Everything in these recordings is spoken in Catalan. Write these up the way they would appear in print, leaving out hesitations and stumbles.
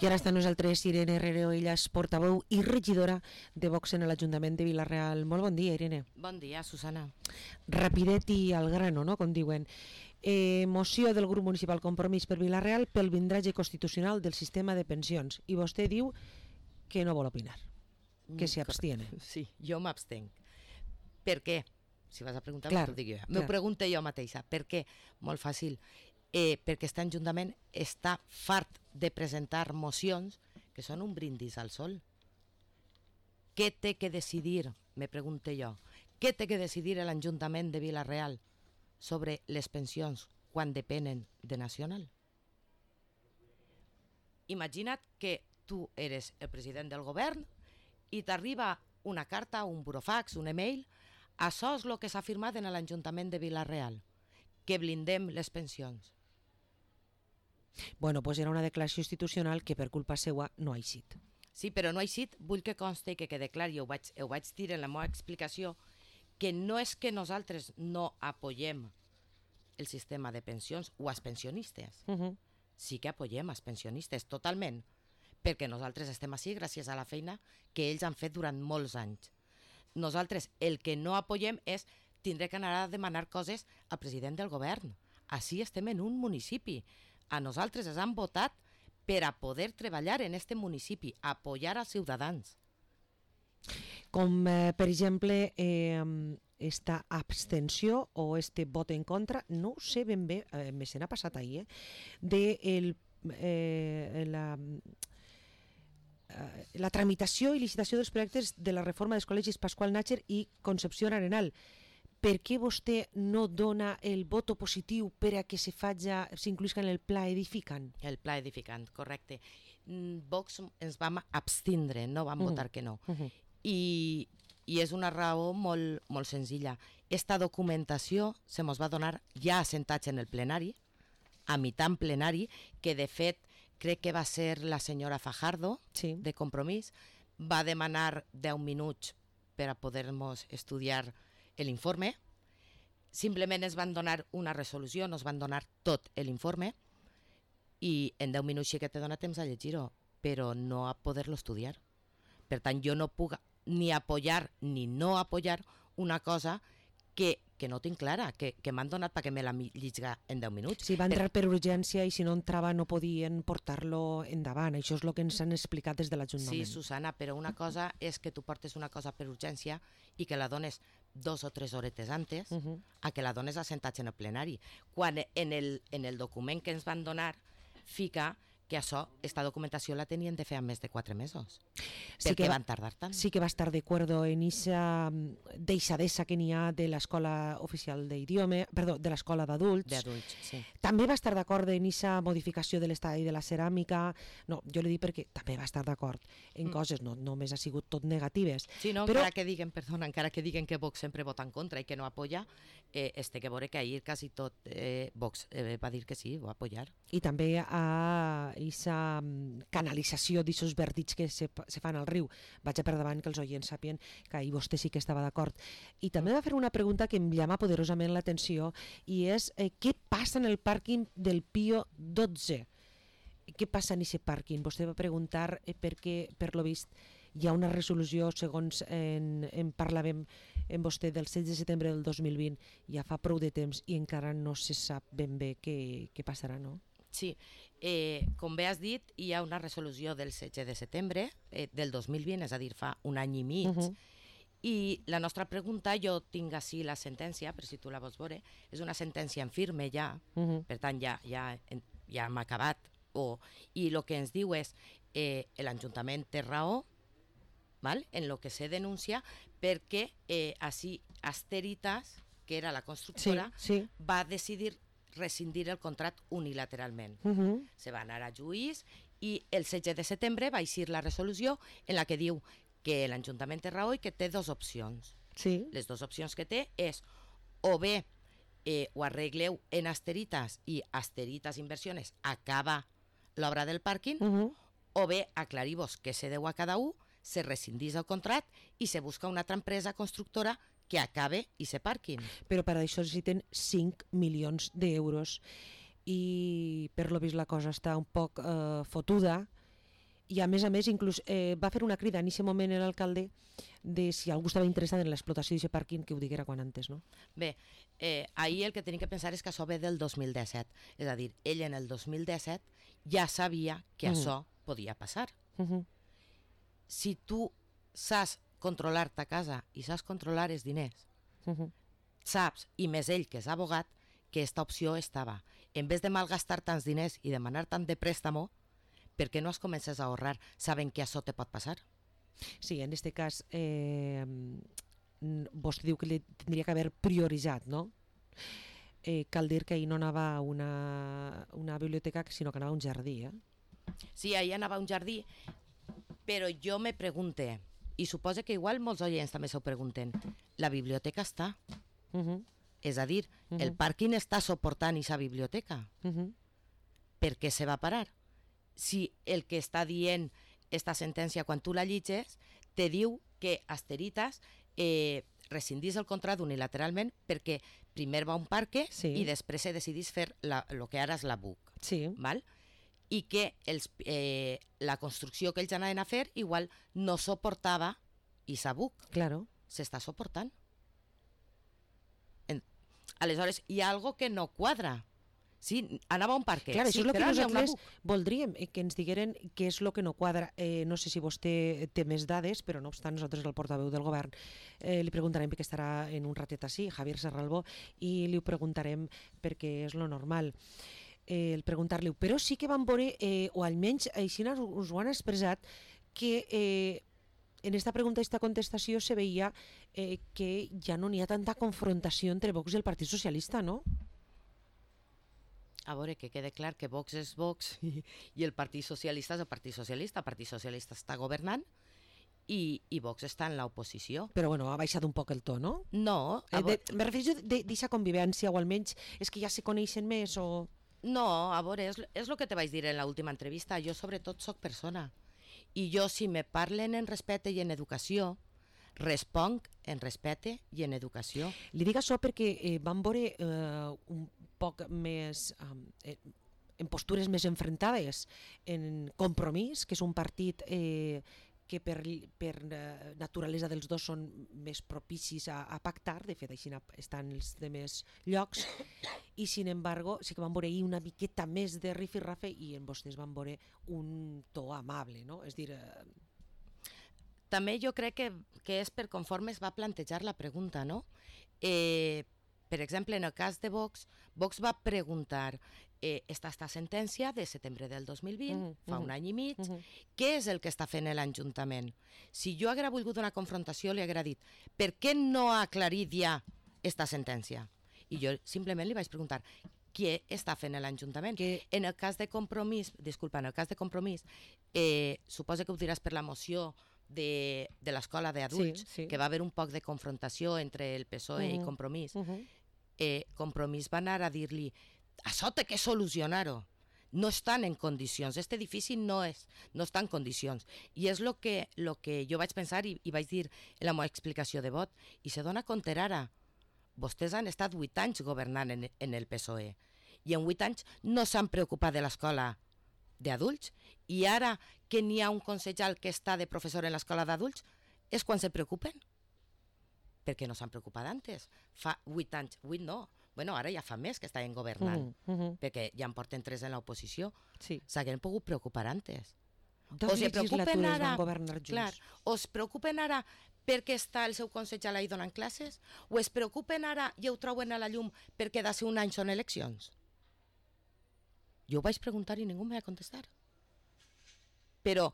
I ara està amb nosaltres Irene Herrero, ella és portaveu i regidora de Vox en l'Ajuntament de Vila-real. Molt bon dia, Irene. Bon dia, Susana. Rapidet i al grano, no?, com diuen. Moció del grup municipal Compromís per Vila-real pel blindratge constitucional del sistema de pensions. I vostè diu que no vol opinar, que s'hi abstiene. Sí, jo m'abstenc. Per què? Si vas a preguntar, clar, t'ho dic jo. M'ho pregunto jo mateixa. Per què? Molt fàcil. Perquè aquest Ajuntament està fart de presentar mocions que són un brindis al sol. Què té que decidir, me pregunto jo, què té que decidir l'Ajuntament de Vila-real sobre les pensions quan depenen de Nacional? Imagina't que tu eres el president del govern i t'arriba una carta, un burofax, un email, això és el que s'ha firmat en l'Ajuntament de Vila-real, que blindem les pensions. Bueno, pues era una declaració institucional que per culpa seua no ha eixit. Sí, però no ha eixit, vull que consti que quede clar, i ho vaig dir en la meva explicació, que no és que nosaltres no apoyem el sistema de pensions o els pensionistes. Sí que apoyem els pensionistes, totalment, perquè nosaltres estem així gràcies a la feina que ells han fet durant molts anys. Nosaltres el que no apoyem és tindre que anar a demanar coses al president del govern. Així estem en un municipi. A nosaltres ens han votat per a poder treballar en este municipi, apoyar als ciutadans. Com, per exemple, esta abstenció o este vot en contra, no ho sé ben bé, me se n'ha passat ahir, de la tramitació i licitació dels projectes de la reforma dels col·legis Pasqual Nàcher i Concepció Arenal. Per què vostè no dona el vot positiu per a que s'incluïsca en el pla edificant? El pla edificant, correcte. Vox ens vam abstindre, no vam votar que no. I és una raó molt, molt senzilla. Esta documentació se mos va donar ja assentats en el plenari, a mitjà en plenari, que de fet crec que va ser la senyora Fajardo, sí, de Compromís, va demanar 10 minuts per a poder-nos estudiar l'informe. Simplement ens van donar una resolució, nos van donar tot l'informe i en 10 minuts sí que te dona temps a llegir-ho, però no a poder-lo estudiar. Per tant, jo no puc ni apoyar ni no apoyar una cosa que no tinc clara, que m'han donat perquè me la llisga en 10 minuts. Sí, va entrar per urgència i si no entrava no podien portar-lo endavant. Això és el que ens han explicat des de l'Ajuntament. Sí, Susana, però una cosa és que tu portes una cosa per urgència i que la dones 2 o 3 horetes antes a que la dones assentats en el plenari. Quan en el document que ens van donar fica que això, esta documentació la tenien de fer en més de 4 mesos. Sí per què van tardar tant? Sí que va estar d'acord en aquesta deixadesa que n'hi ha de l'Escola Oficial d'Idioma, perdó, de l'Escola d'Adults. D'Adults, sí. També va estar d'acord en aquesta modificació de l'estadi de la ceràmica. No, jo li dic perquè també va estar d'acord en coses, no només ha sigut tot negatives. Sí, no, però encara que diguen que Vox sempre vota en contra i que no apoya, té que veure que ahir quasi tot Vox va dir que sí, va apoyar. I també a aquesta canalització d'aquests verdits que se fan al riu. Vaig a per davant que els oients sàpien que ahir vostè sí que estava d'acord. I també va fer una pregunta que em llama poderosament l'atenció i és què passa en el pàrquing del Pío XII? Què passa en aquest pàrquing? Vostè va preguntar perquè, per lo vist, hi ha una resolució, segons en parlàvem amb vostè, del 16 de setembre del 2020, ja fa prou de temps i encara no se sap ben bé què passarà, no? Sí, com bé has dit, hi ha una resolució del 16 de setembre del 2020, és a dir, fa un any i mig, i la nostra pregunta, jo tinc així la sentència, per si tu la vols veure, és una sentència en firme ja, per tant ja hem acabat, i el que ens diu és l'Ajuntament té raó en el que se denuncia perquè així Asteritas, que era la constructora, va decidir rescindir el contracte unilateralment. Se va anar a juís i el 16 de setembre va eixir la resolució en la que diu que l'Ajuntament té raó i que té 2 opcions. Les 2 opcions que té és o bé ho arregleu en Asteritas i Asteritas Inversiones acaba l'obra del pàrquing, o bé aclarivos què se deu a cada un, se rescindís el contracte i se busca una altra empresa constructora que acabe i se parquin. Però per això necessiten 5 milions d'euros i per lo vist la cosa està un poc fotuda I a més, inclús va fer una crida en aquest moment l'alcalde de si algú estava interessat en l'explotació d'aquest pàrquing que ho diguera quan antes, no? Bé, ahir el que tenim que pensar és que això ve del 2017. És a dir, ell en el 2017 ja sabia que això podia passar. Si tu saps controlar ta casa i saps controlar els diners, saps, i més ell que és abogat, que aquesta opció estava. En vez de malgastar tants diners i demanar tant de préstamo, per què no es comences a ahorrar sabent que això te pot passar? Sí, en aquest cas vostè diu que li tindria que haver prioritzat, no? Cal dir que ahir no anava a una biblioteca, sinó que anava a un jardí, Sí, ahir anava a un jardí, però jo me pregunte, i suposo que igual molts oients també s'ho pregunten, la biblioteca està? És a dir, el pàrquing està suportant aquesta biblioteca. Per què se va parar? Si el que està dient esta sentència, quan tu la llegis, te diu que Asteritas rescindís el contracte unilateralment perquè primer va a un parque i després se decidís fer el que ara és la BUC. Val? I que la construcció que ells anaven a fer igual no suportava aquesta BUC. Claro. S'està suportant. Aleshores, hi ha algo que no quadra. Sí, anava a un parque. Clar, sí, això és el que nosaltres voldríem, que ens digueren què és el que no quadra. No sé si vostè té més dades, però no obstant nosaltres, el portaveu del govern, li preguntarem perquè estarà en un ratet així, Javier Serralbó, i li ho preguntarem perquè és lo normal. El preguntar-li-ho. Però sí que vam veure, o almenys així us ho han expressat, que en esta pregunta i esta contestació se veia que ja no n'hi ha tanta confrontació entre Vox i el Partit Socialista, no? A veure, que quede clar que Vox és Vox i el Partit Socialista és el Partit Socialista. El Partit Socialista està governant i Vox està en l'oposició. Però bueno, ha baixat un poc el to, no? No. Me refereixo d'aquesta convivència, o almenys és que ja se coneixen més o... No, a veure, és el que te vaig dir en l'última entrevista. Jo sobretot soc persona. I jo, si me parlen en respecte i en educació, responc en respecte i en educació. Li dic això perquè vam veure un poc més, en postures més enfrontades, en Compromís, que és un partit que per naturalesa dels dos són més propicis a pactar, de fet així estan els demés llocs, i sin embargo sí que van veure ahir una miqueta més de rifirrafe i en vostès van veure un to amable, no? És dir... També jo crec que és per conforme es va plantejar la pregunta, no? Per exemple, en el cas de Vox, Vox va preguntar esta sentència de setembre del 2020, fa un any i mig, què és el que està fent l'Ajuntament? Si jo haguera volgut una confrontació, li haguera dit, per què no ha aclarit ja esta sentència? I jo simplement li vaig preguntar, què està fent l'Ajuntament? En el cas de Compromís, suposa que ho diràs per la moció de l'escola d'adults, que va haver un poc de confrontació entre el PSOE i Compromís. Compromís va anar a dir-li, això té que solucionar-ho. No estan en condicions, aquest edifici no està en condicions. I és el que jo vaig pensar i vaig dir en la meva explicació de vot. I se dona compte ara. Vostès han estat 8 anys governant en el PSOE i en 8 anys no s'han preocupat de l'escola d'adults i ara que n'hi ha un consellal que està de professor en l'escola d'adults és quan se preocupen? Perquè no s'han preocupat antes. Fa 8 anys, 8 no, bueno, ara ja fa més que estaven governant, perquè ja en porten 3 en l'oposició. S'hagueren pogut preocupar antes. Dos legislatures van governar junts. Clar, o es preocupen ara perquè està el seu consellal ahí donant classes, o es preocupen ara i ho troben a la llum perquè d'ací un any són eleccions? Jo ho vaig preguntar i ningú em va contestar. Però,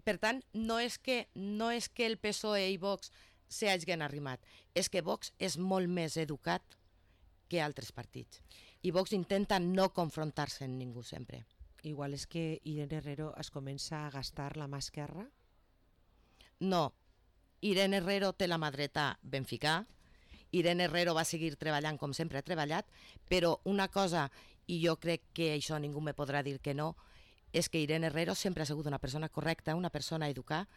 per tant, no és que el PSOE i Vox s'hagin arrimat, és que Vox és molt més educat que altres partits. I Vox intenta no confrontar-se amb ningú sempre. Igual és que Irene Herrero es comença a gastar la mà esquerra? No. Irene Herrero té la mà dreta ben ficar. Irene Herrero va seguir treballant com sempre ha treballat, però una cosa, i jo crec que això ningú me podrà dir que no, és que Irene Herrero sempre ha sigut una persona correcta, una persona educada,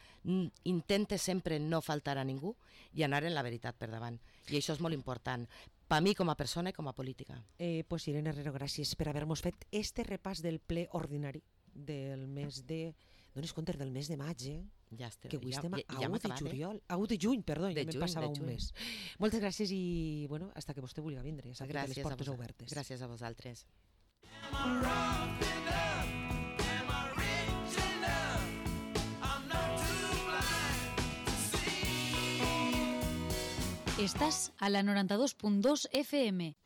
intenta sempre no faltar a ningú i anar en la veritat per davant. I això és molt important, per mi com a persona i com a política. Pues Irene Herrero, gràcies per haver-nos fet este repàs del ple ordinari del mes de dones compte del mes de maig, Ja estem, que avui estem a hem 1 de acabat, juliol, a 1 de juny, perdó, ja De me'n juny, passava de un juny. mes. Moltes gràcies i, bueno, hasta que vostè vulgui vindre, ja sap que té les portes obertes. Gràcies a vosaltres. Estás a la 92.2 FM.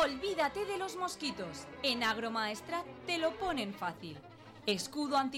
Olvídate de los mosquitos. En Agromaestrat te lo ponen fácil. Escudo anti